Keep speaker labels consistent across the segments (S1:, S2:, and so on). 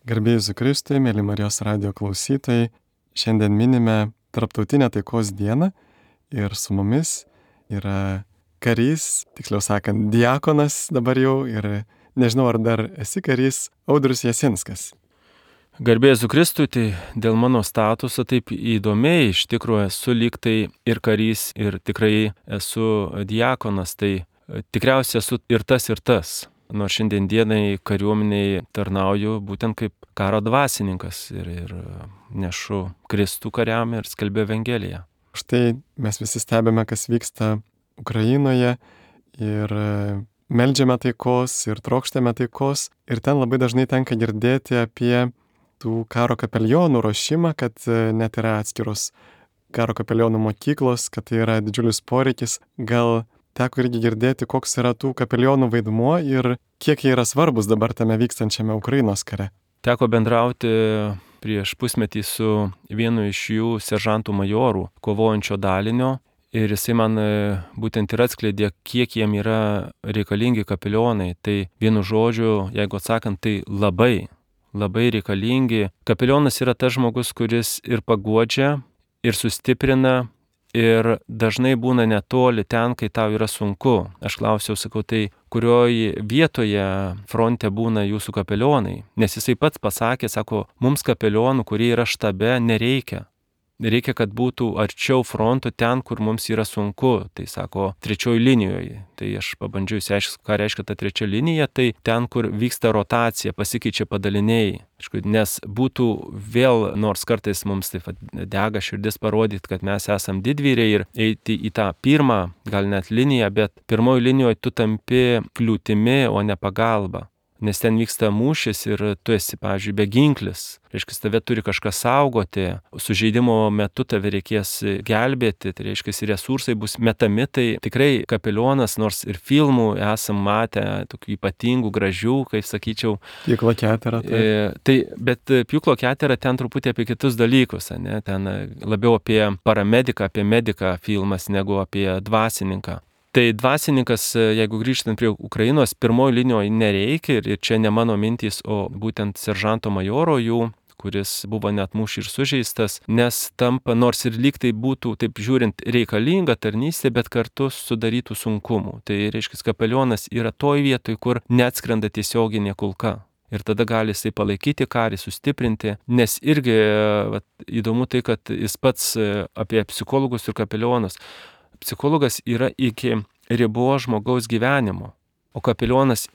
S1: Garbė Jėzui Kristui, mėly Marijos radijo klausytojai, šiandien minime Tarptautinę taikos dieną ir su mumis yra karys, tiksliau sakant, diakonas dabar jau ir nežinau, ar dar esi karys, Audrius Jasinskas.
S2: Garbė Jėzui Kristui, tai dėl mano statuso taip įdomiai, iš tikrųjų esu lyg tai ir karys, ir tikrai esu diakonas, tai tikriausiai esu ir tas. Nors šiandien dienai kariuomeniai tarnauju būtent kaip karo dvasininkas ir nešu Kristų kariam ir skelbiu Evangeliją.
S1: Štai mes visi stebime, kas vyksta Ukrainoje ir meldžiame taikos ir trokštame taikos. Ir ten labai dažnai tenka girdėti apie tų karo kapelionų ruošimą, kad net yra atskiros karo kapelionų mokyklos, kad tai yra didžiulis poreikis. Gal teko irgi girdėti, koks yra tų kapelionų vaidmuo ir kiek jie yra svarbus dabar tame vykstančiame Ukrainos kare.
S2: Teko bendrauti prieš pusmetį su vienu iš jų seržantų majorų, kovojančio dalinio, ir jisai man būtent ir atskleidė, kiek jiem yra reikalingi kapelionai. Tai vienu žodžiu, jeigu atsakant, tai labai reikalingi. Kapelionas yra tas žmogus, kuris ir paguodžia, ir sustiprina, ir dažnai būna netoli ten, kai tau yra sunku. Aš klausiau, sakau, tai kurioj vietoje fronte būna jūsų kapelionai? Nes jisai pats pasakė, sako, mums kapelionų, kurie yra štabe, nereikia. Reikia, kad būtų arčiau fronto ten, kur mums yra sunku. Tai sako, 3 linijoje. Tai aš pabandžiau išsiaiškinti, ką reiškia ta 3 linija. Tai ten, kur vyksta rotacija, pasikeičia padaliniai. Nes būtų vėl, nors kartais mums taip dega širdis parodyti, kad mes esam didvyriai ir eiti į tą pirmą, gal net liniją, bet pirmoji linijoje tu tampi kliūtimi, o ne pagalba. Nes ten vyksta mūšis ir tu esi, pavyzdžiui, beginklis. Reiškia, tave turi kažkas saugoti, sužeidimo metu tave reikės gelbėti, tai reiškia, resursai bus metami. Tai tikrai kapelionas, nors ir filmų esam matę, tokių ypatingų, gražių, kaip sakyčiau.
S1: Pjūklo ketera.
S2: Bet Pjūklo ketera ten truputį apie kitus dalykus, ne? Ten labiau apie paramediką, apie mediką filmas, negu apie dvasininką. Tai dvasininkas, jeigu grįžtant prie Ukrainos, pirmoji linijoje nereikia, ir čia ne mano mintys, o būtent seržanto majoro jų, kuris buvo net mūšį ir sužeistas, nes tampa, nors ir lyg tai būtų, taip žiūrint, reikalinga tarnystė, bet kartu sudarytų sunkumų. Tai reiškia, kapelionas yra toj vietoj, kur neatskrenda tiesioginė kulka. Ir tada gali jisai palaikyti karį, sustiprinti, nes irgi įdomu tai, kad jis pats apie psichologus ir kapelionus. Psichologas yra iki ribos žmogaus gyvenimo, o kapelionas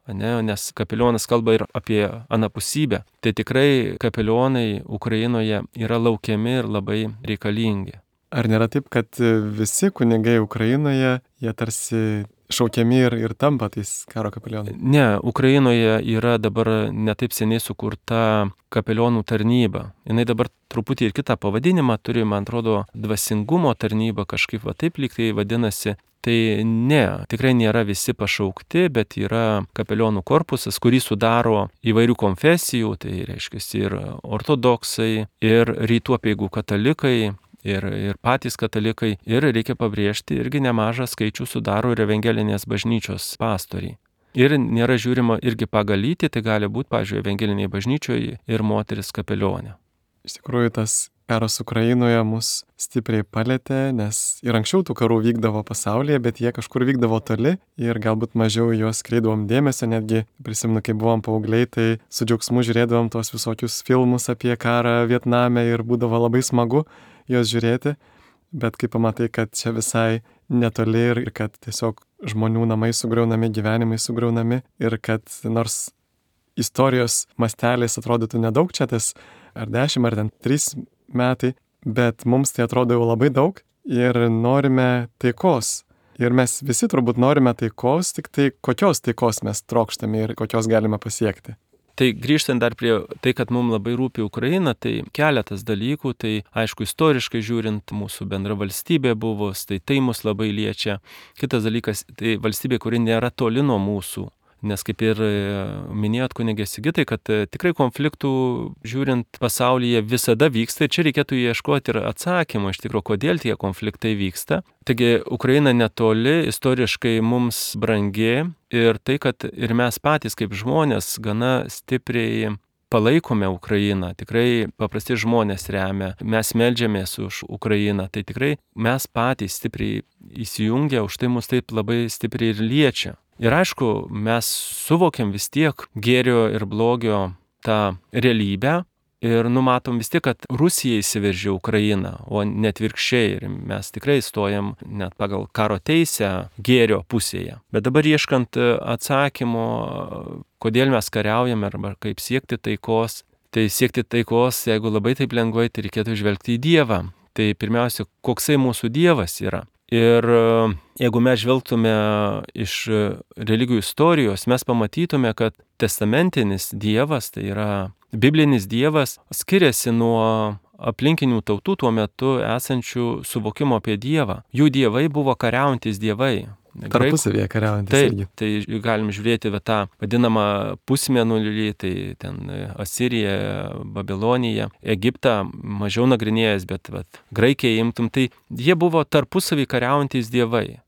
S2: nes kapelionas kalba ir apie anapusybę. Tai tikrai kapelionai Ukrainoje yra laukiami ir labai reikalingi.
S1: Ar nėra taip, kad visi kunigai Ukrainoje, jie tarsi šaukiami ir tampa tais karo kapelionai?
S2: Ne, Ukrainoje yra dabar netaip seniai sukurta kapelionų tarnyba. Jinai dabar truputį ir kitą pavadinimą turi, man atrodo, dvasingumo tarnyba, kažkaip taip lyg tai vadinasi. Tai ne, tikrai nėra visi pašaukti, bet yra kapelionų korpusas, kurį sudaro įvairių konfesijų, tai reiškia ir ortodoksai, ir rytų apeigų katalikai, ir patys katalikai, ir reikia pabrėžti, irgi nemažą skaičių sudaro ir evangelinės bažnyčios pastoriai. Ir nėra žiūrima irgi pagal lytį, tai gali būti, pavyzdžiui, evangeliniai bažnyčioje ir moteris kapelionė.
S1: Iš tikrųjų, tas karas Ukrainoje mus stipriai palėtė, nes ir anksčiau tų karų vykdavo pasaulyje, bet jie kažkur vykdavo toli ir galbūt mažiau juos kreidavom dėmesio, netgi prisimenu, kai buvom paaugliai, tai su džiaugsmu žiūrėdavom tos visokius filmus apie karą Vietname ir būdavo labai smagu juos žiūrėti, bet kai pamatai, kad čia visai netoli ir kad tiesiog žmonių namai sugriaunami, gyvenimai sugriaunami ir kad nors istorijos masteliais atrodytų nedaug čia tas ar 10 ar 3 metai, bet mums tai atrodo jau labai daug ir norime taikos. Ir mes visi turbūt norime taikos, tik tai kokios taikos mes trokštame ir kokios galime pasiekti.
S2: Tai grįžtant dar prie tai, kad mums labai rūpi Ukraina, tai keletas dalykų, tai aišku, istoriškai žiūrint, mūsų bendra valstybė buvo, tai mus labai liečia. Kitas dalykas, tai valstybė, kuri nėra toli nuo mūsų. Nes kaip ir minėjot, kunigė Sigitai, kad tikrai konfliktų žiūrint pasaulyje visada vyksta ir čia reikėtų ieškoti ir atsakymą iš tikrųjų, kodėl tie konfliktai vyksta. Taigi Ukraina netoli, istoriškai mums brangi ir tai, kad ir mes patys kaip žmonės gana stipriai palaikome Ukrainą, tikrai paprasti žmonės remia, mes meldžiamės už Ukrainą, tai tikrai mes patys stipriai įsijungia, už tai mus taip labai stipriai ir liečia. Ir aišku, mes suvokiam vis tiek gėrio ir blogio tą realybę ir numatom vis tiek, kad Rusija įsiveržė Ukrainą, o net virkščiai, ir mes tikrai stojam net pagal karo teisę gėrio pusėje. Bet dabar ieškant atsakymo, kodėl mes kariaujame arba kaip siekti taikos, tai siekti taikos, jeigu labai taip lengvai, tai reikėtų žvelgti į Dievą. Tai pirmiausia, koksai mūsų Dievas yra. Ir jeigu mes žvelgtume iš religijų istorijos, mes pamatytume, kad testamentinis Dievas, tai yra biblinis Dievas, skiriasi nuo aplinkinių tautų tuo metu esančių suvokimo apie Dievą. Jų dievai buvo kariaujantis dievai.
S1: Tarpusavėje kariaujantis irgi.
S2: Tai galim žiūrėti tą vadinamą pusmėnulį, tai ten Asirija, Babilonija, Egiptą mažiau nagrinėjęs, bet Graikiją imtum, tai jie buvo tarpusavį kariaujantis dievai.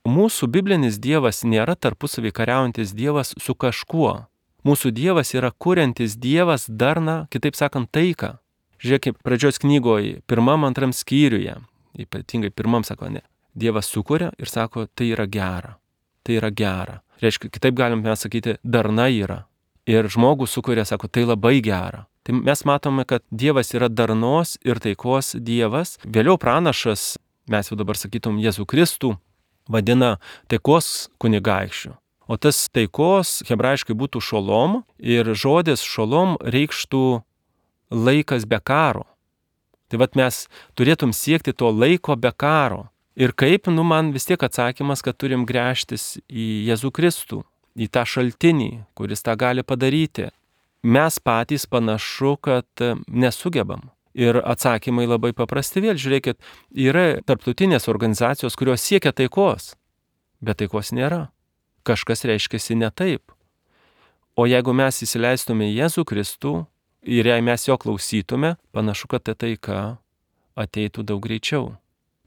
S2: Mūsų biblinis Dievas nėra tarpusavį kariaujantis Dievas su kažkuo. Mūsų Dievas yra kuriantis Dievas darną, kitaip sakant, taiką. Žiūrėkit, pradžios knygoje, 1-2 skyriuje, ypatingai 1 sako, ne. Dievas sukuria ir sako, tai yra gera. Tai yra gera. Reiškia, kitaip galime sakyti, darna yra. Ir žmogus sukuria, sako, tai labai gera. Tai mes matome, kad Dievas yra darnos ir taikos Dievas. Vėliau pranašas, mes jau dabar sakytum, Jėzų Kristų, vadina taikos kunigaikščiu. O tas taikos hebrajiškai būtų šolom ir žodis šolom reikštų laikas be karo. Tai mes turėtum siekti to laiko be karo. Ir kaip, man vis tiek atsakymas, kad turim gręžtis į Jėzų Kristų, į tą šaltinį, kuris tą gali padaryti. Mes patys panašu, kad nesugebam. Ir atsakymai labai paprasti vėl. Žiūrėkit, yra tarptautinės organizacijos, kurios siekia taikos, bet taikos nėra. Kažkas reiškiasi ne taip. O jeigu mes įsileistume Jėzų Kristų ir jei mes jo klausytume, panašu, kad ta taika ateitų daug greičiau.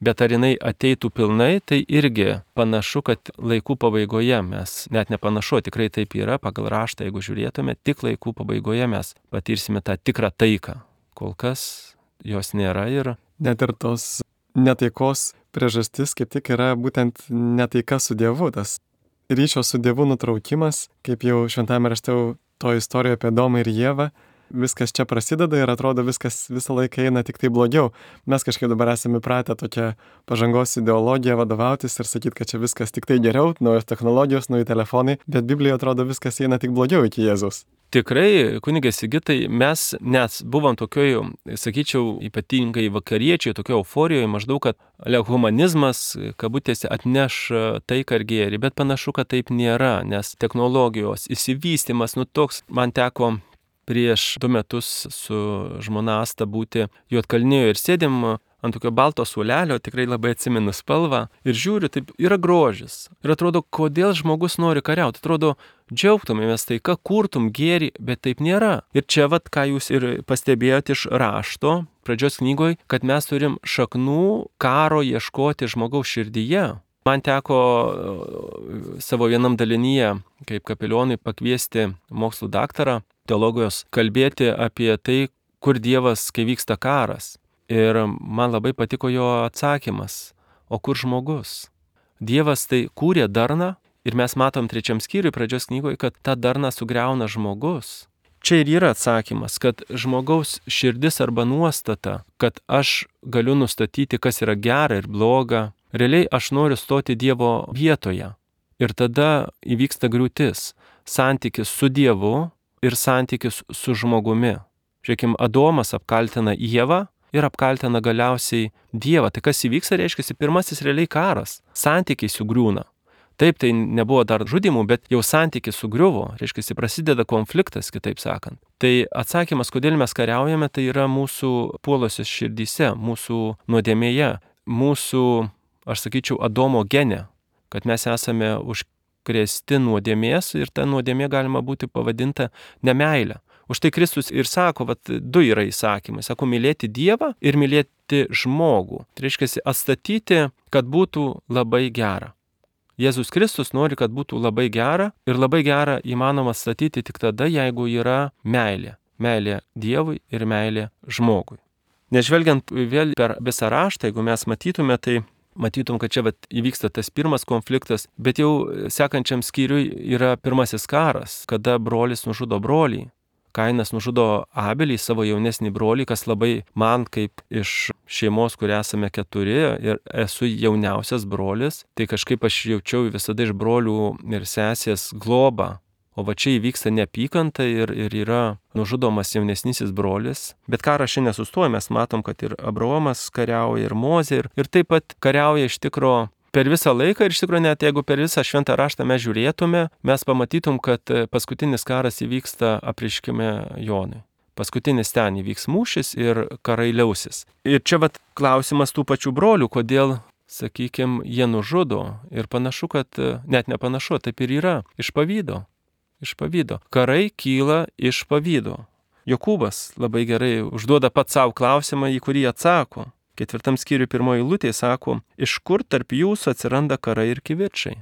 S2: Bet ar jinai ateitų pilnai, tai irgi panašu, kad laikų pabaigoje mes, net nepanašu, tikrai taip yra, pagal raštą, jeigu žiūrėtume, tik laikų pabaigoje mes patirsime tą tikrą taiką. Kol kas jos nėra ir...
S1: Net ir tos netaikos priežastis kaip tik yra būtent netaika su Dievu, tas ryšio su Dievu nutraukimas, kaip jau šventame rašte to istorijoje apie Adomą ir Ievą. Viskas čia prasideda ir atrodo viskas visą laiką eina tik tai blogiau. Mes kažkaip dabar esame pratę tokią pažangos ideologiją vadovautis ir sakyti, kad čia viskas tik tai geriau, naujos technologijos, nauji telefonai, bet Biblijoje atrodo viskas eina tik blogiau iki Jėzaus.
S2: Tikrai, kunigė Sigitai, mes net buvom tokioj, sakyčiau, ypatingai vakariečiai, tokio euforijoje, maždaug, kad humanizmas, kabutėse, atneš taiką ir gėrį, bet panašu, kad taip nėra, nes technologijos įsivystymas, toks, man teko prieš 2 metus su žmona Asta būti Juodkalnijoje ir sėdėm ant tokio balto suolelio, tikrai labai atsimenu spalvą ir žiūriu, taip yra grožis. Ir atrodo, kodėl žmogus nori kariauti. Atrodo, džiaugtumėmės taika, kurtum gėrį, bet taip nėra. Ir čia ką jūs ir pastebėjote iš rašto, pradžios knygoje, kad mes turim šaknų karo ieškoti žmogaus širdyje. Man teko savo vienam dalinyje, kaip kapelionui, pakviesti mokslų daktarą, teologijos, kalbėti apie tai, kur Dievas, kai vyksta karas. Ir man labai patiko jo atsakymas. O kur žmogus? Dievas tai kūrė darną ir mes matom 3 skyriui pradžios knygoje, kad tą darną sugriauna žmogus. Čia ir yra atsakymas, kad žmogaus širdis arba nuostata, kad aš galiu nustatyti, kas yra gera ir bloga. Realiai aš noriu stoti Dievo vietoje. Ir tada įvyksta griūtis. Santykis su Dievu ir santykis su žmogumi. Žiūrėkim, Adomas apkaltina Ievą ir apkaltina galiausiai Dievą. Tai kas įvyksta, reiškia, pirmasis realiai karas. Santykiai sugriūna. Taip, tai nebuvo dar žudimų, bet jau santykis sugriuvo. Reiškia, prasideda konfliktas, kitaip sakant. Tai atsakymas, kodėl mes kariaujame, tai yra mūsų puolosios širdyse, mūsų nuodėmėje, mūsų, aš sakyčiau, Adomo gene, kad mes esame užkrėsti nuodėmės ir ta nuodėmė galima būti pavadinta nemeilė. Už tai Kristus ir sako, 2 yra įsakymai. Sako, mylėti Dievą ir mylėti žmogų. Tai reiškia, atstatyti, kad būtų labai gera. Jėzus Kristus nori, kad būtų labai gera ir labai gera įmanoma statyti tik tada, jeigu yra meilė. Meilė Dievui ir meilė žmogui. Nežvelgiant vėl per visą raštą, jeigu mes matytume, tai matytum, kad čia įvyksta tas pirmas konfliktas, bet jau sekančiam skyriui yra pirmasis karas, kada brolis nužudo brolį. Kainas nužudo Abelį, savo jaunesnį brolį, kas labai man kaip iš šeimos, kur esame 4 ir esu jauniausias brolis, tai kažkaip aš jaučiau visada iš brolių ir sesės globą. O va čia įvyksta neapykanta ir yra nužudomas jaunesnysis brolis. Bet karas šiandien nesustoja, mes matom, kad ir Abraomas kariauja, ir Mozė, ir taip pat kariauja iš tikro per visą laiką ir iš tikrųjų net jeigu per visą šventą raštą mes žiūrėtume, mes pamatytum, kad paskutinis karas įvyksta apreiškime Jonui. Paskutinis ten įvyks mūšis ir karai liausis. Ir čia klausimas tų pačių brolių, kodėl, sakykime, jie nužudo. Ir panašu, kad net nepanašu, taip ir yra. Iš pavydo. Iš pavydo. Karai kyla iš pavydo. Jokūbas labai gerai užduoda pats savo klausimą, į kurį atsako. 4 skyriui 1 eilutė sako, iš kur tarp jūsų atsiranda karai ir kivirčai?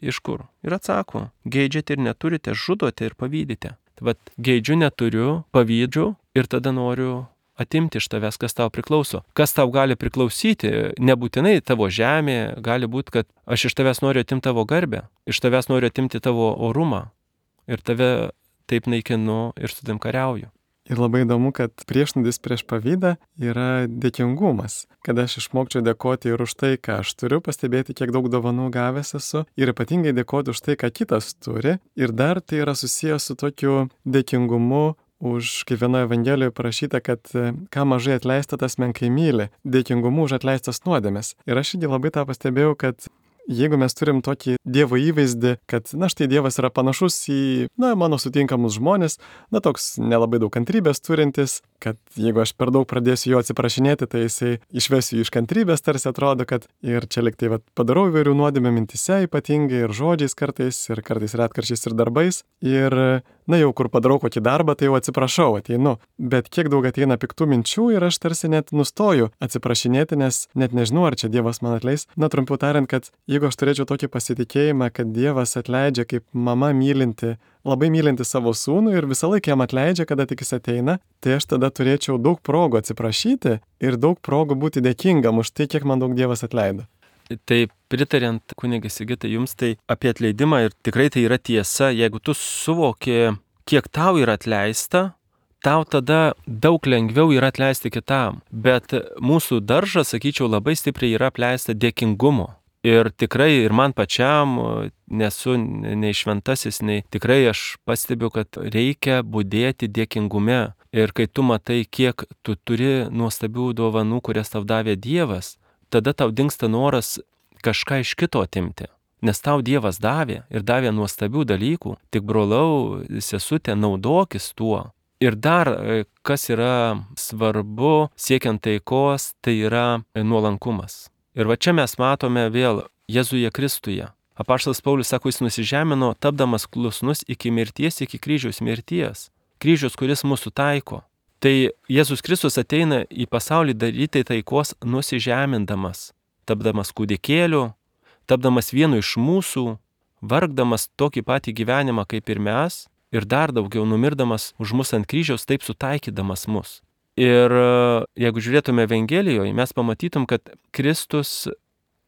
S2: Iš kur? Ir atsako, geidžiate ir neturite, žudote ir pavydite. Tai geidžiu, neturiu, pavydžiu ir tada noriu atimti iš tavęs, kas tau priklauso. Kas tau gali priklausyti, nebūtinai tavo žemė, gali būti, kad aš iš tavęs noriu atimti tavo garbę, iš tavęs noriu atimti tavo orumą ir tave taip naikinu ir su tavim kariauju.
S1: Ir labai įdomu, kad priešnodis prieš pavydą yra dėkingumas. Kad aš išmokčiau dėkoti ir už tai, ką aš turiu, pastebėti, kiek daug dovanų gavęs esu, ir ypatingai dėkoti už tai, ką kitas turi. Ir dar tai yra susijęs su tokiu dėkingumu už, kaip vienoje Evangelijoje parašyta, kad ką mažai atleista, tas menkai myli. Dėkingumu už atleistas nuodėmes. Ir aš irgi labai tą pastebėjau, kad jeigu mes turim tokį Dievo įvaizdį, kad, štai Dievas yra panašus į, mano sutinkamus žmonės, toks nelabai daug kantrybės turintis, kad jeigu aš per daug pradėsiu jo atsiprašinėti, tai jisai išvesiu iš kantrybės, tarsi atrodo, kad ir čia liktai padarau įvairių nuodėmių mintise ypatingai, ir žodžiais kartais retkarčiais ir darbais, ir, jau kur padarau kokį darbą, tai jau atsiprašau, ateinu. Bet kiek daug ateina piktų minčių ir aš tarsi net nustoju atsiprašinėti, nes net nežinau, ar čia Dievas man atleis. Trumpiau tariant, kad jeigu aš turėčiau tokį pasitikėjimą, kad Dievas atleidžia kaip mama mylinti, labai mylinti savo sūnų ir visą laiką jam atleidžia, kada tik jis ateina, tai aš tada turėčiau daug progų atsiprašyti ir daug progų būti dėkingam už tai, kiek man daug Dievas atleido.
S2: Tai pritariant, kunige Sigitai, jums tai apie atleidimą ir tikrai tai yra tiesa, jeigu tu suvoki, kiek tau yra atleista, tau tada daug lengviau yra atleisti kitam. Bet mūsų daržas, sakyčiau, labai stipriai yra apleista dėkingumo. Ir tikrai ir man pačiam, nesu nei šventasis, nei tikrai aš pastebiu, kad reikia budėti dėkingume. Ir kai tu matai, kiek tu turi nuostabių dovanų, kurias tau davė Dievas, tada tau dingsta noras kažką iš kito atimti. Nes tau Dievas davė ir davė nuostabių dalykų, tik brolau, sesutė, naudokis tuo. Ir dar, kas yra svarbu siekiant taikos, tai yra nuolankumas. Ir va čia mes matome vėl Jėzuje Kristuje. Apaštalas Paulius sako, jis nusižemino, tapdamas klusnus iki mirties, iki kryžiaus mirties. Kryžius, kuris mūsų taiko. Tai Jėzus Kristus ateina į pasaulį daryti taikos nusižemindamas, tapdamas kūdikėliu, tapdamas vienu iš mūsų, vargdamas tokį patį gyvenimą kaip ir mes, ir dar daugiau numirdamas už mus ant kryžiaus, taip sutaikydamas mus. Ir jeigu žiūrėtume Evangelijoje, mes pamatytum, kad Kristus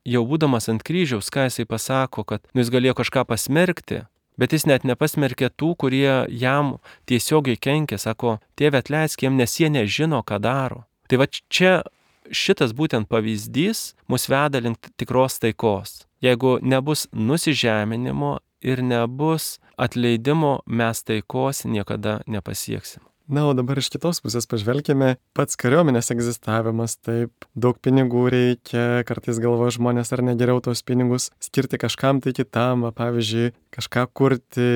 S2: jau būdamas ant kryžiaus, ką jisai pasako, kad jis galėjo kažką pasmerkti, bet jis net nepasmerkė tų, kurie jam tiesiogiai kenkė, sako, Tėve atleisk jiem, nes jie nežino, ką daro. Tai va čia šitas būtent pavyzdys mus veda link tikros taikos. Jeigu nebus nusižeminimo ir nebus atleidimo, mes taikos niekada nepasieksim.
S1: O dabar iš kitos pusės pažvelkime, pats kariuomenės egzistavimas, taip, daug pinigų reikia, kartais galvoja žmonės, ar ne geriau tos pinigus skirti kažkam tai kitam, pavyzdžiui, kažką kurti,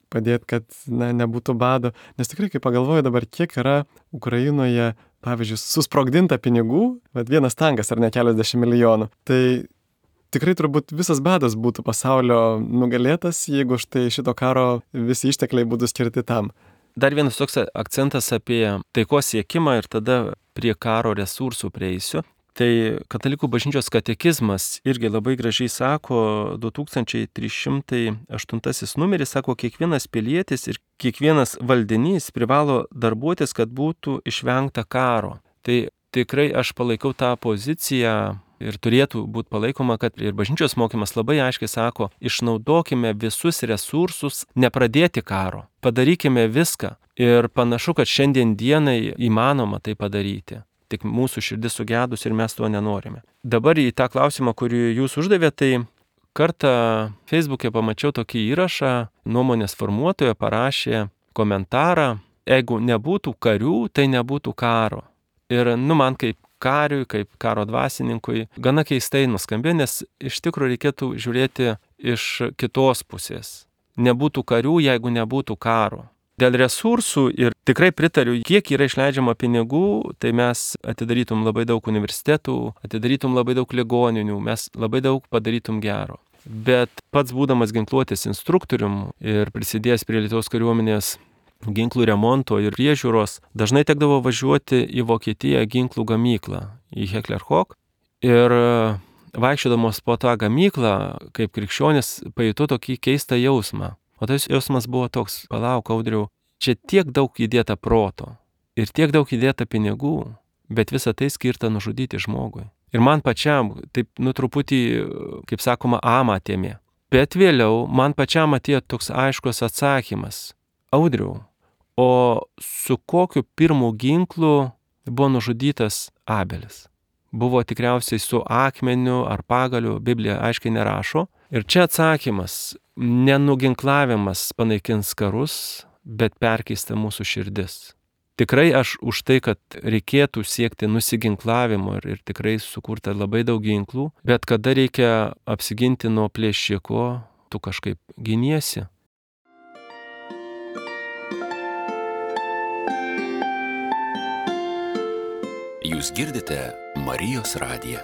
S1: padėti, kad nebūtų bado. Nes tikrai, kai pagalvoju dabar, kiek yra Ukrainoje, pavyzdžiui, susprogdinta pinigų, vienas tankas ar ne keliasdešimt milijonų, tai tikrai turbūt visas badas būtų pasaulio nugalėtas, jeigu štai šito karo visi ištekliai būtų skirti tam.
S2: Dar vienas toks akcentas apie taikos siekimą ir tada prie karo resursų prieisiu. Tai Katalikų bažnyčios katekizmas irgi labai gražiai sako, 2308 numeris sako, kiekvienas pilietis ir kiekvienas valdinys privalo darbuotis, kad būtų išvengta karo. Tai tikrai aš palaikau tą poziciją ir turėtų būti palaikoma, kad ir bažnyčios mokymas labai aiškiai sako, išnaudokime visus resursus, nepradėti karo, padarykime viską. Ir panašu, kad šiandien dienai įmanoma tai padaryti. Tik mūsų širdis sugedus ir mes to nenorime. Dabar į tą klausimą, kurį jūs uždavėte, tai kartą Facebook'e pamačiau tokį įrašą, nuomonės formuotoja parašė komentarą, jeigu nebūtų karių, tai nebūtų karo. Ir man kaip kariui, kaip karo dvasininkui, gana keistai nuskambėjo, nes iš tikrųjų reikėtų žiūrėti iš kitos pusės. Nebūtų karių, jeigu nebūtų karo. Dėl resursų ir tikrai pritariu, kiek yra išleidžiama pinigų, tai mes atidarytum labai daug universitetų, atidarytum labai daug ligoninių, mes labai daug padarytum gero. Bet pats būdamas ginkluotės instruktorium ir prisidėjęs prie Lietuvos kariuomenės ginklų remonto ir priežiūros, dažnai tekdavo važiuoti į Vokietiją ginklų gamyklą, į Heckler-Koch. Ir vaikščiodamos po tą gamyklą, kaip krikščionis, pajutau tokį keistą jausmą. O tas jausmas buvo toks, palauk, Audriau, čia tiek daug įdėta proto ir tiek daug įdėta pinigų, bet visa tai skirta nužudyti žmogui. Ir man pačiam, taip, truputį, kaip sakoma, amatėmė. Bet vėliau man pačiam atėjo toks aiškus atsakymas. Audriau, o su kokiu pirmu ginklu buvo nužudytas Abelis? Buvo tikriausiai su akmeniu ar pagaliu, Biblija aiškiai nerašo. Ir čia atsakymas, nenuginklavimas panaikins karus, bet perkeista mūsų širdis. Tikrai aš už tai, kad reikėtų siekti nusiginklavimo ir tikrai sukurta labai daug ginklų, bet kada reikia apsiginti nuo plėšiko, tu kažkaip giniesi.
S3: Jūs girdite Marijos radiją.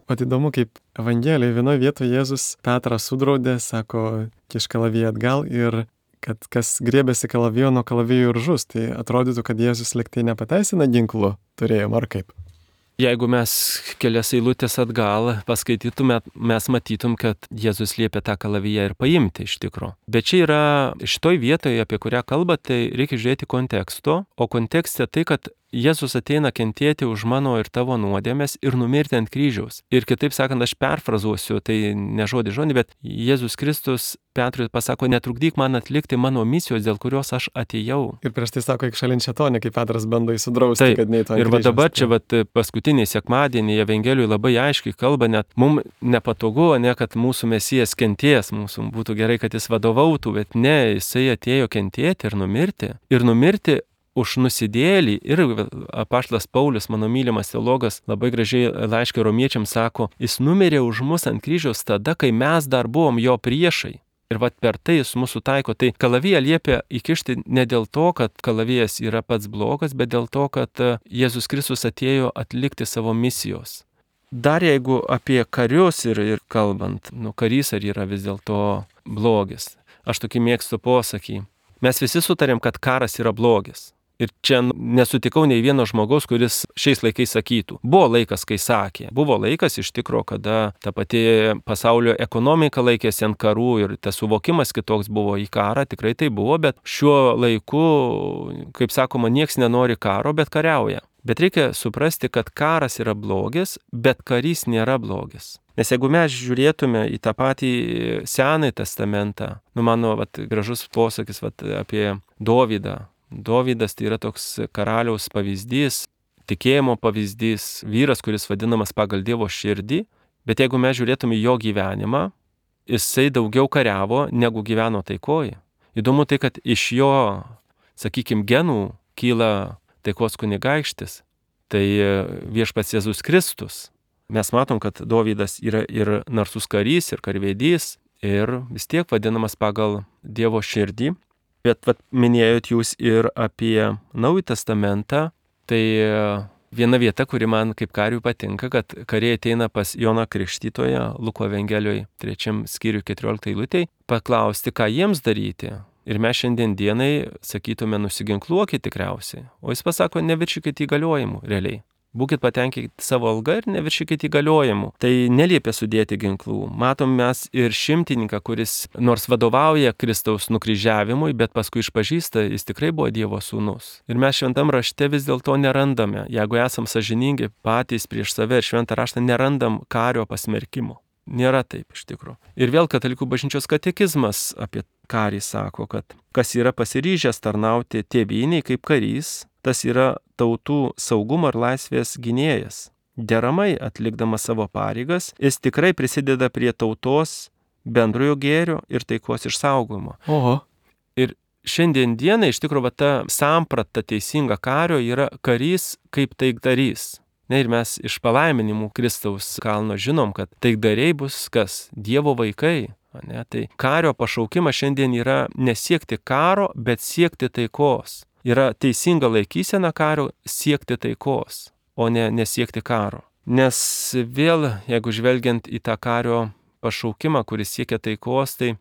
S1: Vat įdomu, kaip Evangelijoje vienoje vietoje Jėzus Petrą sudraudė, sako, kišk kalaviją atgal ir kad kas griebėsi kalavijo nuo kalavijo ir žus. Tai atrodytų, kad Jėzus liktai nepateisina ginklų turėjimo, ar kaip?
S2: Jeigu mes kelias eilutės atgal paskaitytume, mes matytum, kad Jėzus liepia tą kalaviją ir paimti iš tikro. Bet čia yra šitoj vietoje, apie kurią kalba, tai reikia žiūrėti konteksto, o kontekste tai, kad Jėzus ateina kentėti už mano ir tavo nuodėmes ir numirti ant kryžiaus. Ir kitaip sakant, aš perfrazuosiu, tai ne žodį, bet Jėzus Kristus Petrui pasako, netrukdyk man atlikti mano misijos, dėl kurios aš atėjau.
S1: Ir prieš tai sako, eik šalin šėtonį, kai Petras bando įsudrausti, kad neįtų ant kryžiaus.
S2: Ir va dabar čia paskutinį sekmadienį Evangelijoje labai aiškiai kalba, net mums nepatogu, ne kad mūsų Mesijas kentės, mūsų būtų gerai, kad jis vadovautų, bet ne, jisai atėjo kentėti ir numirti už nusidėlį. Ir apaštalas Paulius, mano mylimas teologas, labai gražiai laiške romiečiams sako, jis numirė už mus ant kryžiaus tada, kai mes dar buvom jo priešai. Ir per tai jis mūsų taiko. Tai kalaviją liepia įkišti ne dėl to, kad kalavijas yra pats blogas, bet dėl to, kad Jėzus Kristus atėjo atlikti savo misijos. Dar jeigu apie karius ir kalbant, karys ar yra vis dėlto blogis. Aš tokį mėgstu posakį. Mes visi sutarėm, kad karas yra blogis. Ir čia nesutikau nei vieno žmogaus, kuris šiais laikais sakytų. Buvo laikas, kai sakė. Buvo laikas iš tikro, kada ta pati pasaulio ekonomika laikėsi ant karų ir tas suvokimas kitoks buvo į karą, tikrai tai buvo, bet šiuo laiku, kaip sakoma, nieks nenori karo, bet kariauja. Bet reikia suprasti, kad karas yra blogis, bet karys nėra blogis. Nes jeigu mes žiūrėtume į tą patį Senąjį testamentą, mano gražus posakis apie Dovydą. Dovydas tai yra toks karaliaus pavyzdys, tikėjimo pavyzdys, vyras, kuris vadinamas pagal Dievo širdį, bet jeigu mes žiūrėtume jo gyvenimą, jisai daugiau kariavo, negu gyveno taikoje. Įdomu tai, kad iš jo, sakykime, genų kyla taikos kunigaikštis, tai viešpats Jėzus Kristus. Mes matom, kad Dovydas yra ir narsus karys, ir karvedys, ir vis tiek vadinamas pagal Dievo širdį. Bet minėjot jūs ir apie Naująjį testamentą, tai viena vieta, kuri man kaip kariui patinka, kad kariai ateina pas Joną Krikštytoją, Luko Evangelijoje 3 skyriui 14 eilutėj, paklausti, ką jiems daryti. Ir mes šiandien dienai sakytume, nusiginkluokit tikriausiai, o jis pasako, neviršykit įgaliojimų realiai. Būkit patenkinti savo algą ir neviršykit įgaliojimų. Tai neliepia sudėti ginklų. Matom mes ir šimtininką, kuris nors vadovauja Kristaus nukryžiavimui, bet paskui išpažįsta, jis tikrai buvo Dievo sūnus. Ir mes šventam rašte vis dėlto nerandame, jeigu esam sąžiningi patys prieš save ir šventą raštą, nerandam kario pasmerkimo. Nėra taip iš tikrųjų. Ir vėl katalikų bažnyčios katekizmas apie karį sako, kad kas yra pasiryžęs tarnauti tėvynei kaip karys, tas yra tautų saugumo ir laisvės gynėjas. Deramai atlikdamas savo pareigas, jis tikrai prisideda prie tautos bendrojo gėrio ir taikos išsaugojimo.
S1: Oho.
S2: Ir šiandien dienai iš tikrųjų ta samprata teisinga kario yra karys kaip taikdarys. Ir mes iš palaiminimų Kristaus kalno žinom, kad taikdariai bus kas? Dievo vaikai. Tai kario pašaukimas šiandien yra nesiekti karo, bet siekti taikos. Yra teisinga laikysena kario siekti taikos, o ne nesiekti karo. Nes vėl, jeigu žvelgiant į tą kario pašaukimą, kuris siekia taikos, tai,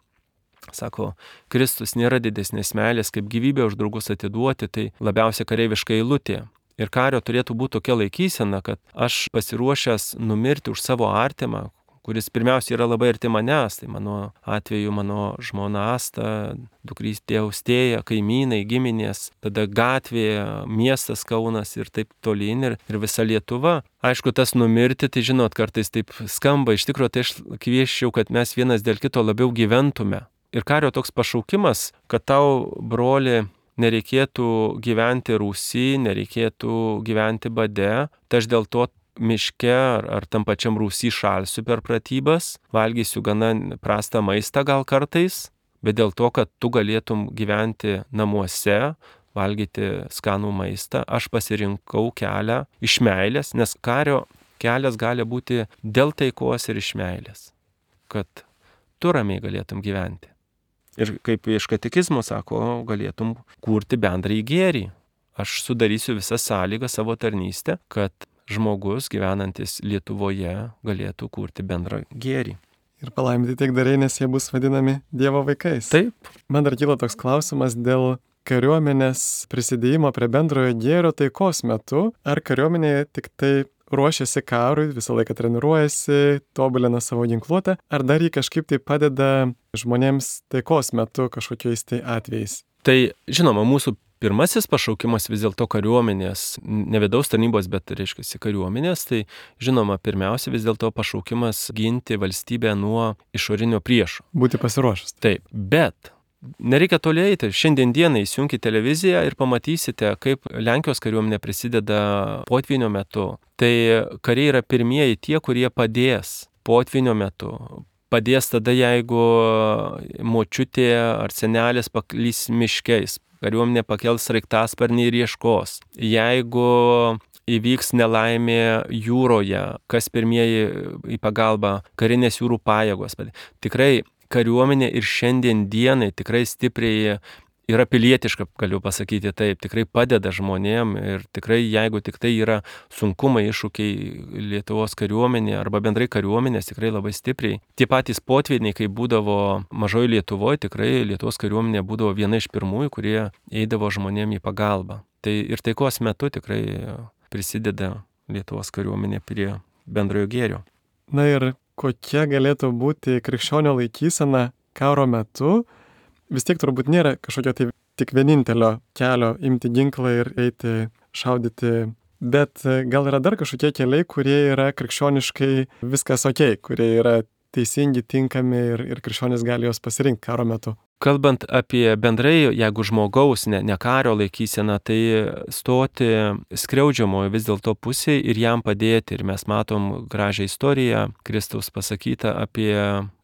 S2: sako, Kristus nėra didesnės meilės, kaip gyvybę už draugus atiduoti, tai labiausiai kareiviška eilutė. Ir kario turėtų būti tokia laikysena, kad aš pasiruošęs numirti už savo artimą, kuris pirmiausia yra labai arti manęs, tai mano atveju mano žmona Asta, dukrystė Austėja, kaimynai, giminės, tada gatvėje, miestas Kaunas ir taip tolyn ir visa Lietuva. Aišku, tas numirti, tai žinot, kartais taip skamba, iš tikrųjų tai aš kviesčiau, kad mes vienas dėl kito labiau gyventume. Ir kario toks pašaukimas, kad tau, broli, nereikėtų gyventi rūsy, nereikėtų gyventi bade, tai aš dėl to miške ar tam pačiam rūsy šalsiu per pratybas, valgysiu gana prastą maistą gal kartais, bet dėl to, kad tu galėtum gyventi namuose, valgyti skanų maistą, aš pasirinkau kelią iš meilės, nes kario kelias gali būti dėl taikos ir iš meilės, kad tu ramiai galėtum gyventi. Ir kaip iš katekizmo sako, galėtum kurti bendrąjį gėrį. Aš sudarysiu visą sąlygą savo tarnystę, kad žmogus gyvenantis Lietuvoje galėtų kurti bendrą gėrį.
S1: Ir palaiminti taikdariai, nes jie bus vadinami Dievo vaikais.
S2: Taip.
S1: Man dar kyla toks klausimas dėl kariuomenės prisidėjimo prie bendrojo gėrio taikos metu. Ar kariuomenė tik tai ruošiasi karui, visą laiką treniruojasi, tobulina savo ginkluotę, ar dar jį kažkaip tai padeda žmonėms taikos metu kažkokiais tai atvejais?
S2: Tai žinoma, mūsų pirmasis pašaukimas vis dėlto kariuomenės, ne vidaus tarnybos, bet reiškia kariuomenės, tai žinoma, pirmiausia vis dėlto pašaukimas ginti valstybę nuo išorinio priešo.
S1: Būti pasiruošus.
S2: Taip, bet nereikia toli eiti. Šiandien dieną įsijunkite televiziją ir pamatysite, kaip Lenkijos kariuomenė prisideda potvynio metu. Tai kariai yra pirmieji tie, kurie padės potvynio metu. Padės tada, jeigu močiutė ar senelis paklys miškiais. Kariuomenė pakels sraigtasparnį ir ieškos. Jeigu įvyks nelaimė jūroje, kas pirmieji į pagalbą, karinės jūrų pajėgos. Tikrai kariuomenė ir šiandien dienai tikrai stipriai yra pilietiška, galiu pasakyti taip, tikrai padeda žmonėm ir tikrai jeigu tik tai yra sunkumai, iššūkiai Lietuvos kariuomenė arba bendrai kariuomenės, tikrai labai stipriai. Tie patys potvyniai, kai būdavo mažoje Lietuvoje, tikrai Lietuvos kariuomenė būdavo viena iš pirmųjų, kurie eidavo žmonėm į pagalbą. Tai ir taikos metu tikrai prisideda Lietuvos kariuomenė prie bendrojo gėrio.
S1: Na ir kokia galėtų būti krikščionio laikysena karo metu? Vis tiek turbūt nėra kažkokio tai tik vienintelio kelio imti ginklą ir eiti šaudyti, bet gal yra dar kažkokie keliai, kurie yra krikščioniškai viskas okei, kurie yra teisingi, tinkami ir krikščionis gali juos pasirinkti karo metu.
S2: Kalbant apie bendrai, jeigu žmogaus, ne kario laikysena, tai stoti skriaudžiamojo vis dėlto pusėje ir jam padėti. Ir mes matom gražią istoriją, Kristaus pasakytą apie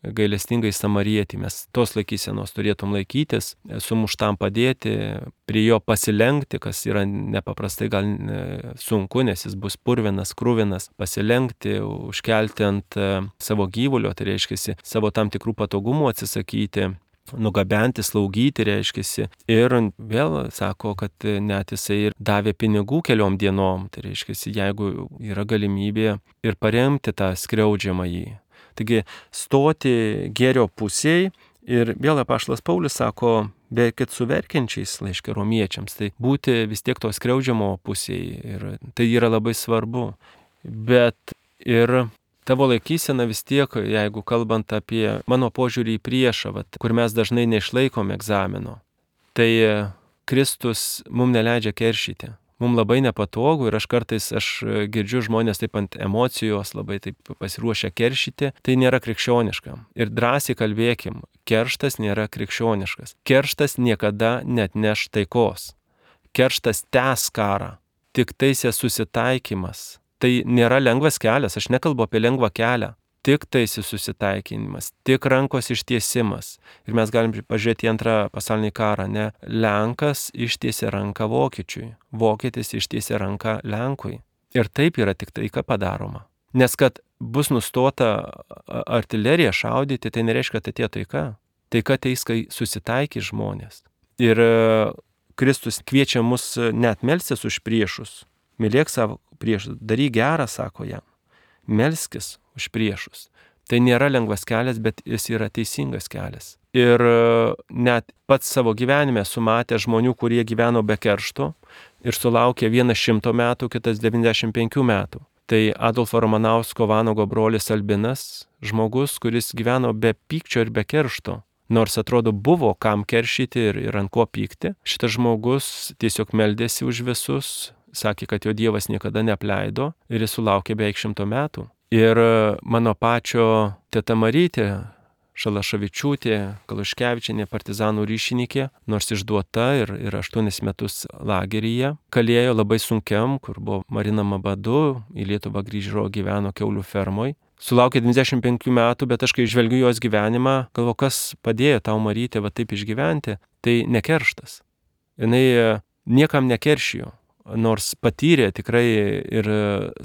S2: gailestingai samarietį. Mes tos laikysenos turėtum laikytis, sumuštam padėti, prie jo pasilenkti, kas yra nepaprastai gal sunku, nes jis bus purvinas, kruvinas, pasilenkti, užkelti ant savo gyvulio, tai reiškia savo tam tikrų patogumų atsisakyti, nugabenti, slaugyti, reiškia. Ir vėl sako, kad net jisai ir davė pinigų keliom dienom, tai reiškia, jeigu yra galimybė ir paremti tą skriaudžiamąjį. Taigi stoti gėrio pusėje ir vėl apaštalas Paulius sako, beveik su verkiančiais laiške romiečiams, tai būti vis tiek to skriaudžiamo pusėje ir tai yra labai svarbu. Bet ir tavo laikysena vis tiek, jeigu kalbant apie mano požiūrį į priešą, kur mes dažnai neišlaikom egzamino, tai Kristus mums neleidžia keršyti. Mums labai nepatogu ir aš girdžiu žmonės taip ant emocijos, labai taip pasiruošę keršyti, tai nėra krikščioniška. Ir drąsiai kalbėkim, kerštas nėra krikščioniškas. Kerštas niekada neatneš taikos. Kerštas tęs karą, tik taisė susitaikymas. Tai nėra lengvas kelias, aš nekalbu apie lengvą kelią. Tik taisi susitaikinimas, tik rankos ištiesimas. Ir mes galim pažiūrėti į antrą pasaulinį karą, ne? Lenkas ištiesė ranką vokiečiui, vokietis ištiesė ranką Lenkui. Ir taip yra tik taika padaroma. Nes kad bus nustota artilerija šaudyti, tai nereiškia, kad atėjo taika. Taika ateis, kai susitaikys žmonės. Ir Kristus kviečia mus net melstis už priešus. Mylėk savo priešus, daryk gerą, sako jam. Melskis už priešus. Tai nėra lengvas kelias, bet jis yra teisingas kelias. Ir net pats savo gyvenime sumatė žmonių, kurie gyveno be keršto ir sulaukė vienas 100 metų, kitas 95 metų. Tai Adolfo Ramanausko Vanago brolis Albinas, žmogus, kuris gyveno be pykčio ir be keršto. Nors atrodo buvo kam keršyti ir ant ko pykti. Šitas žmogus tiesiog meldėsi už visus, sakė, kad jo Dievas niekada neapleido ir jis sulaukė beveik 100 metų. Ir mano pačio teta Marytė Šalaševičiūtė, Kaluškevičienė, partizanų ryšininkė, nors išduota ir 8 metus lageryje, kalėjo labai sunkiam, kur buvo marinama badu, į Lietuvą grįžo, gyveno kiaulių fermoj. Sulaukė 25 metų, bet aš kai žvelgiu jos gyvenimą, galvoju, kas padėjo tau Marytė taip išgyventi, tai ne kerštas. Jinai niekam nekeršijo. Nors patyrė tikrai ir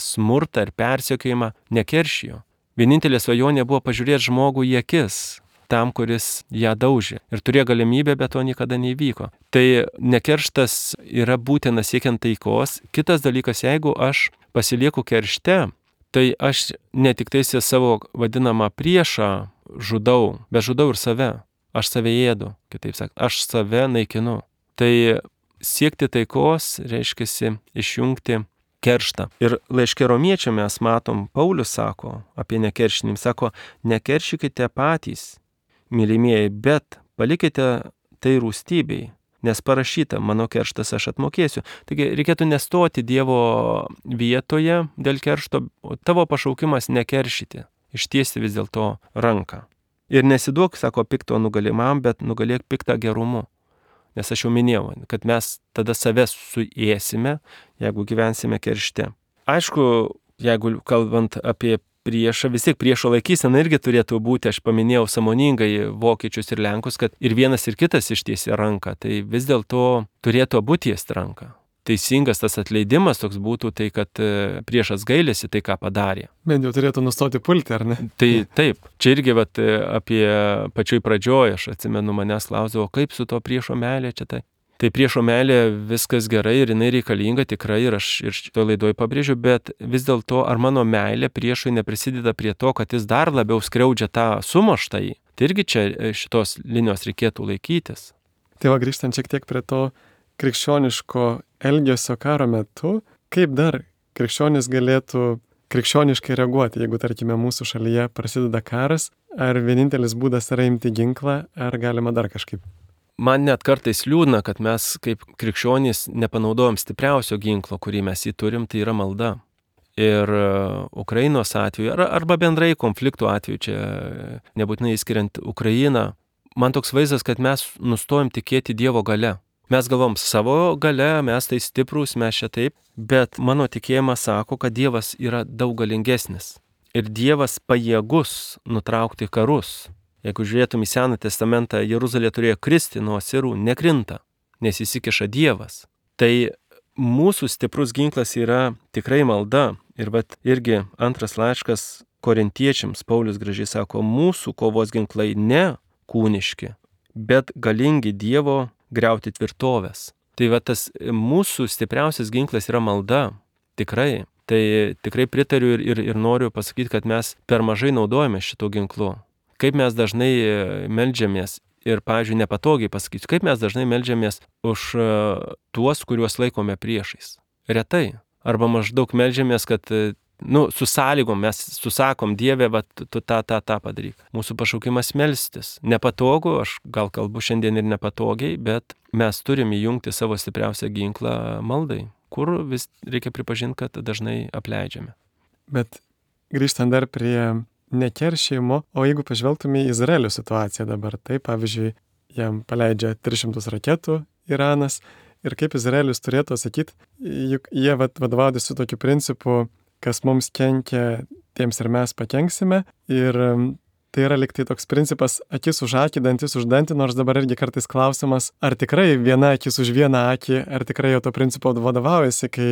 S2: smurtą, ir persekiojimą, nekeršijo. Vienintelė svajonė buvo pažiūrėti žmogų į akis, tam, kuris ją daužė. Ir turėjo galimybę, bet to niekada neįvyko. Tai nekerštas yra būtina siekiant taikos. Kitas dalykas, jeigu aš pasilieku keršte, tai aš ne tik taisė savo vadinamą priešą žudau, bet žudau ir save. Aš save ėdu, kitaip sakant, aš save naikinu. Tai siekti taikos reiškia išjungti kerštą. Ir laiške Romiečiam mes matom, Paulius sako apie nekeršinimą, sako, nekeršykite patys, mylimieji, bet palikite tai rūstybei, nes parašyta, mano kerštas aš atmokėsiu. Taigi reikėtų nestoti Dievo vietoje dėl keršto, o tavo pašaukimas nekeršyti, ištiesti vis dėlto ranką. Ir nesiduok, sako, pikto nugalimam, bet nugalėk piktą gerumu. Nes aš jau minėjau, kad mes tada save suėsime, jeigu gyvensime keršte. Aišku, jeigu kalbant apie priešą, vis tiek priešo laikysena irgi turėtų būti, aš paminėjau sąmoningai vokiečius ir lenkus, kad ir vienas ir kitas ištiesė ranką, tai vis dėlto turėtų abu tiesti ranką. Teisingas tas atleidimas toks būtų tai, kad priešas gailėsi tai, ką padarė.
S1: Bent jau turėtų nustoti pulti, ar ne?
S2: Tai taip, čia irgi apie pačioj pradžioj, aš atsimenu, manęs klausdavo, kaip su to priešo meilė čia tai. Tai priešo meilė viskas gerai ir jinai reikalinga tikrai ir aš ir šitoje laidoje pabrėžiu, bet vis dėlto ar mano meilė priešui neprisideda prie to, kad jis dar labiau skriaudžia tą sumuštąjį. Tai irgi čia šitos linijos reikėtų laikytis.
S1: Tai va, grįžtant šiek tiek prie to krikščioniško elgesio karo metu, kaip dar krikščionis galėtų krikščioniškai reaguoti, jeigu, tarkime, mūsų šalyje prasideda karas, ar vienintelis būdas yra imti ginklą, ar galima dar kažkaip?
S2: Man net kartais liūdna, kad mes kaip krikščionys nepanaudojam stipriausio ginklo, kurį mes jį turim, tai yra malda. Ir Ukrainos atveju, arba bendrai konfliktų atveju, čia nebūtinai įskiriant Ukrainą, man toks vaizdas, kad mes nustojam tikėti Dievo gale. Mes galvom savo gale, mes tai stiprūs, mes čia taip, bet mano tikėjimas sako, kad Dievas yra daug galingesnis. Ir Dievas pajėgus nutraukti karus. Jeigu žiūrėtum į Seną testamentą, Jeruzalė turėjo kristi nuo asirų, nekrinta, nes įsikiša Dievas. Tai mūsų stiprus ginklas yra tikrai malda. Ir irgi antras laiškas Korintiečiams, Paulius gražiai sako, mūsų kovos ginklai ne kūniški, bet galingi Dievo griauti tvirtovės. Tai tas mūsų stipriausias ginklas yra malda. Tikrai. Tai tikrai pritariu ir noriu pasakyti, kad mes per mažai naudojame šito ginklu. Kaip mes dažnai meldžiamės ir, pavyzdžiui, nepatogiai pasakysiu, kaip mes dažnai meldžiamės už tuos, kuriuos laikome priešais. Retai. Arba maždaug meldžiamės, kad su sąlygom mes susakom, Dieve, tu tą padaryk. Mūsų pašaukimas melstis. Nepatogu, aš gal kalbu šiandien ir nepatogiai, bet mes turim įjungti savo stipriausią ginklą maldai, kur vis reikia pripažinti, kad dažnai apleidžiame.
S1: Bet grįžtant dar prie nekeršėjimo, o jeigu pažvelgtume į Izraelio situaciją dabar, tai pavyzdžiui, jam paleidžia 300 raketų Iranas ir kaip Izraelis turėtų sakyti, juk jie vadovaudėsi tokiu principu, kas mums kenkia, tiems ir mes pakenksime. Ir tai yra lyg tai toks principas akis už akį, dantis už dantį, nors dabar irgi kartais klausimas, ar tikrai viena akis už vieną akį, ar tikrai jau to principo vadovaujasi, kai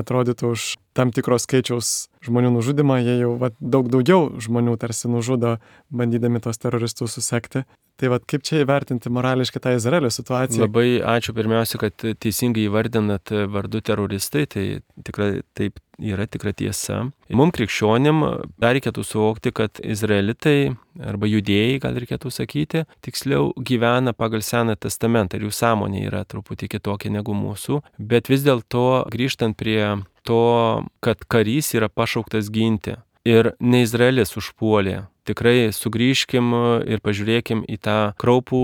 S1: atrodytų už tam tikros skaičiaus žmonių nužudimą, jie jau daug daugiau žmonių tarsi nužudo, bandydami tos teroristus susekti. Tai kaip čia įvertinti morališkai tą Izraelio situaciją?
S2: Labai ačiū pirmiausia, kad teisingai įvardinat vardu teroristai, tai tikrai taip yra tikra tiesa. Mums krikščionim dar reikėtų suvokti, kad izraelitai arba judėjai, gal reikėtų sakyti, tiksliau gyvena pagal Seną testamentą ir jų sąmonė yra truputį kitokia negu mūsų, bet vis dėlto grįžtant prie to, kad karys yra pašauktas ginti ir ne Izraelis užpuolė. Tikrai sugrįžkim ir pažiūrėkim į tą kraupų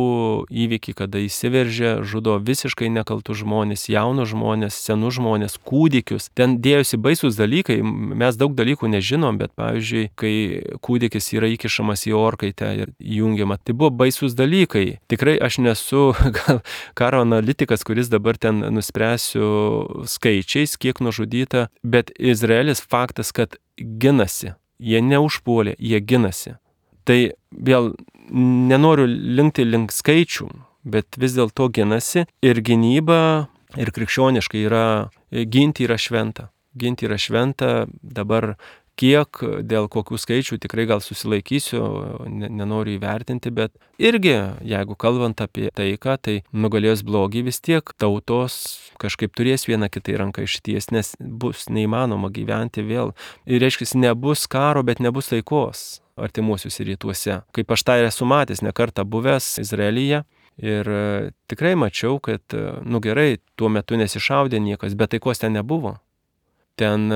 S2: įvykį, kada įsiveržė, žudo visiškai nekaltus žmonės, jaunus žmonės, senus žmonės, kūdikius. Ten dėjosi baisus dalykai, mes daug dalykų nežinom, bet pavyzdžiui, kai kūdikis yra įkišamas į orkaitę ir įjungiama, tai buvo baisus dalykai. Tikrai aš nesu gal karo analitikas, kuris dabar ten nuspręsiu skaičiais, kiek nužudyta, bet Izraelis faktas, kad ginasi. Jie neužpuolė, jie ginasi. Tai vėl nenoriu linkti link skaičių, bet vis dėlto ginasi ir gynyba ir krikščioniškai ginti yra šventa. Ginti yra šventa, dabar Kiek, dėl kokių skaičių tikrai gal susilaikysiu, nenoriu įvertinti, bet irgi, jeigu kalbant apie taiką, tai nugalėjus blogį vis tiek tautos kažkaip turės vieną kitai ranką išties, nes bus neįmanoma gyventi vėl. Ir reiškia, nebus karo, bet nebus taikos artimuosiuose rytuose. Kaip aš tai esu matęs, ne kartą buvęs Izraelyje. Ir tikrai mačiau, kad, gerai, tuo metu nesišaudė niekas, bet taikos ten nebuvo. Ten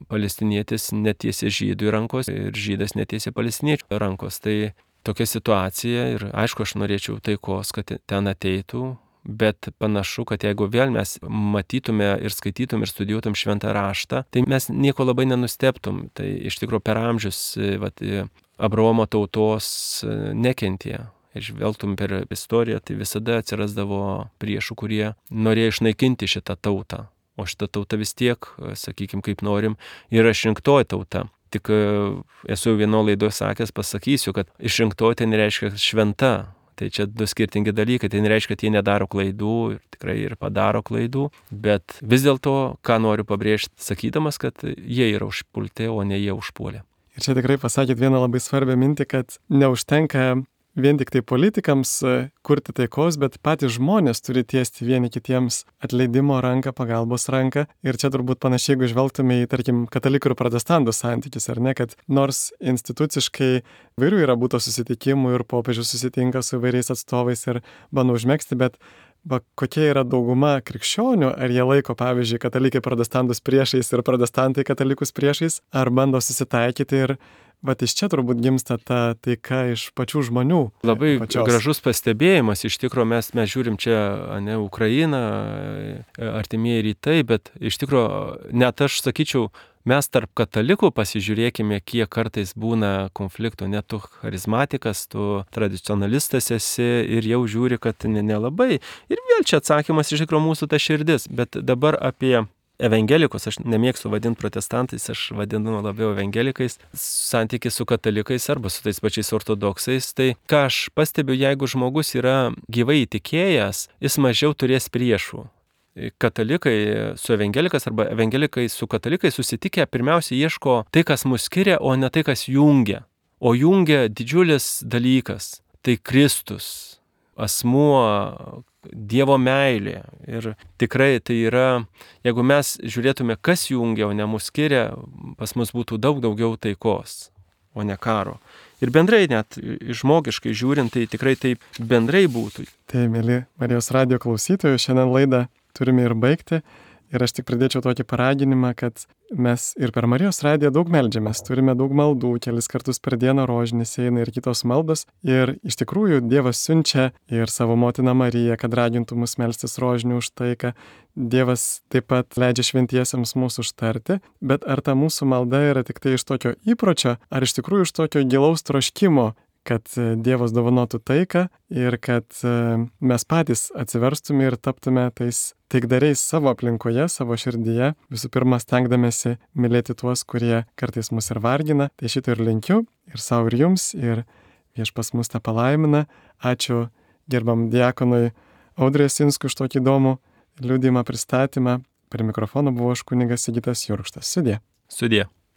S2: palestinietis netiesė žydų rankos ir žydas netiesė palestiniečių rankos. Tai tokia situacija ir aišku, aš norėčiau taikos, kad ten ateitų, bet panašu, kad jeigu vėl mes matytume ir skaitytum ir studijuotum šventą raštą, tai mes nieko labai nenustebtum. Tai iš tikrųjų per amžius Abraomo tautos nekentė. Ir žvelgtum per istoriją, tai visada atsirasdavo priešų, kurie norėjo išnaikinti šitą tautą. O šita tauta vis tiek, sakykime, kaip norim, yra išrinktoji tauta. Tik esu vieno laidoje sakęs, pasakysiu, kad išrinktoji tai nereiškia šventa. Tai čia du skirtingi dalykai. Tai nereiškia, kad jie nedaro klaidų ir tikrai ir padaro klaidų. Bet vis dėlto, ką noriu pabrėžti, sakydamas, kad jie yra užpulti, o ne jie užpuolė.
S1: Ir čia tikrai pasakėt vieną labai svarbią mintį, kad neužtenka vien tik tai politikams kurti taikos, bet patys žmonės turi tiesti vieni kitiems atleidimo ranką, pagalbos ranką. Ir čia turbūt panašiai, jeigu žvelgtume į, tarkim, katalikų ir protestantų santykius, ar ne, kad nors instituciškai vairių yra būta susitikimų ir popiežius susitinka su vairiais atstovais ir bando užmegzti, bet kokia yra dauguma krikščionių, ar jie laiko, pavyzdžiui, katalikai protestantus priešais ir protestantai katalikus priešais, ar bando susitaikyti ir iš čia turbūt gimsta ta taika iš pačių žmonių.
S2: Labai
S1: pačios.
S2: Gražus pastebėjimas, iš tikrųjų mes žiūrim čia, ne, Ukrainą, artimieji rytai, bet iš tikrųjų net aš sakyčiau, mes tarp katalikų pasižiūrėkime, kiek kartais būna konfliktų, net tu charizmatikas, tu tradicionalistas esi ir jau žiūri, kad nelabai. Ir vėl čia atsakymas iš tikrųjų mūsų ta širdis, bet dabar apie evangelikus, aš nemėgstu vadinti protestantais, aš vadinu labiau evangelikais, santykis su katalikais arba su tais pačiais ortodoksais. Tai ką aš pastebiu, jeigu žmogus yra gyvai įtikėjęs, jis mažiau turės priešų. Katalikai su evangelikas arba evangelikai su katalikais susitikę pirmiausia ieško tai, kas mus skiria, o ne tai, kas jungia. O jungia didžiulis dalykas – tai Kristus, asmuo, Dievo meilė. Ir tikrai tai yra, jeigu mes žiūrėtume, kas jungia, o ne mus skiria, pas mus būtų daug daugiau taikos, o ne karo. Ir bendrai net žmogiškai žiūrint, tai tikrai taip bendrai būtų.
S1: Tai, mėly Marijos radijo klausytojų, šiandien laidą turime ir baigti. Ir aš tik pridėčiau tokį paraginimą, kad mes ir per Marijos radiją daug meldžiamės, turime daug maldų, kelis kartus per dieną rožinis eina ir kitos maldos. Ir iš tikrųjų Dievas siunčia ir savo motiną Mariją, kad ragintų mus melstis rožinių už taiką. Dievas taip pat leidžia šventiesiems mūsų užtarti, bet ar ta mūsų malda yra tik tai iš tokio įpročio, ar iš tikrųjų iš tokio gilaus troškimo, kad Dievas dovanotų taiką ir kad mes patys atsiverstume ir taptume tais taikdariais savo aplinkoje, savo širdyje, visų pirma stengdamėsi mylėti tuos, kurie kartais mus ir vargina. Tai šito ir linkiu, ir savo, ir jums, ir Viešpats mus tą palaimina. Ačiū gerbiam diakonui Audriui Jasinskui už tokį įdomų liudijimą pristatymą. Per mikrofoną buvo aš kunigas Sigitas Jurkštas. Sudie.
S2: Sudie.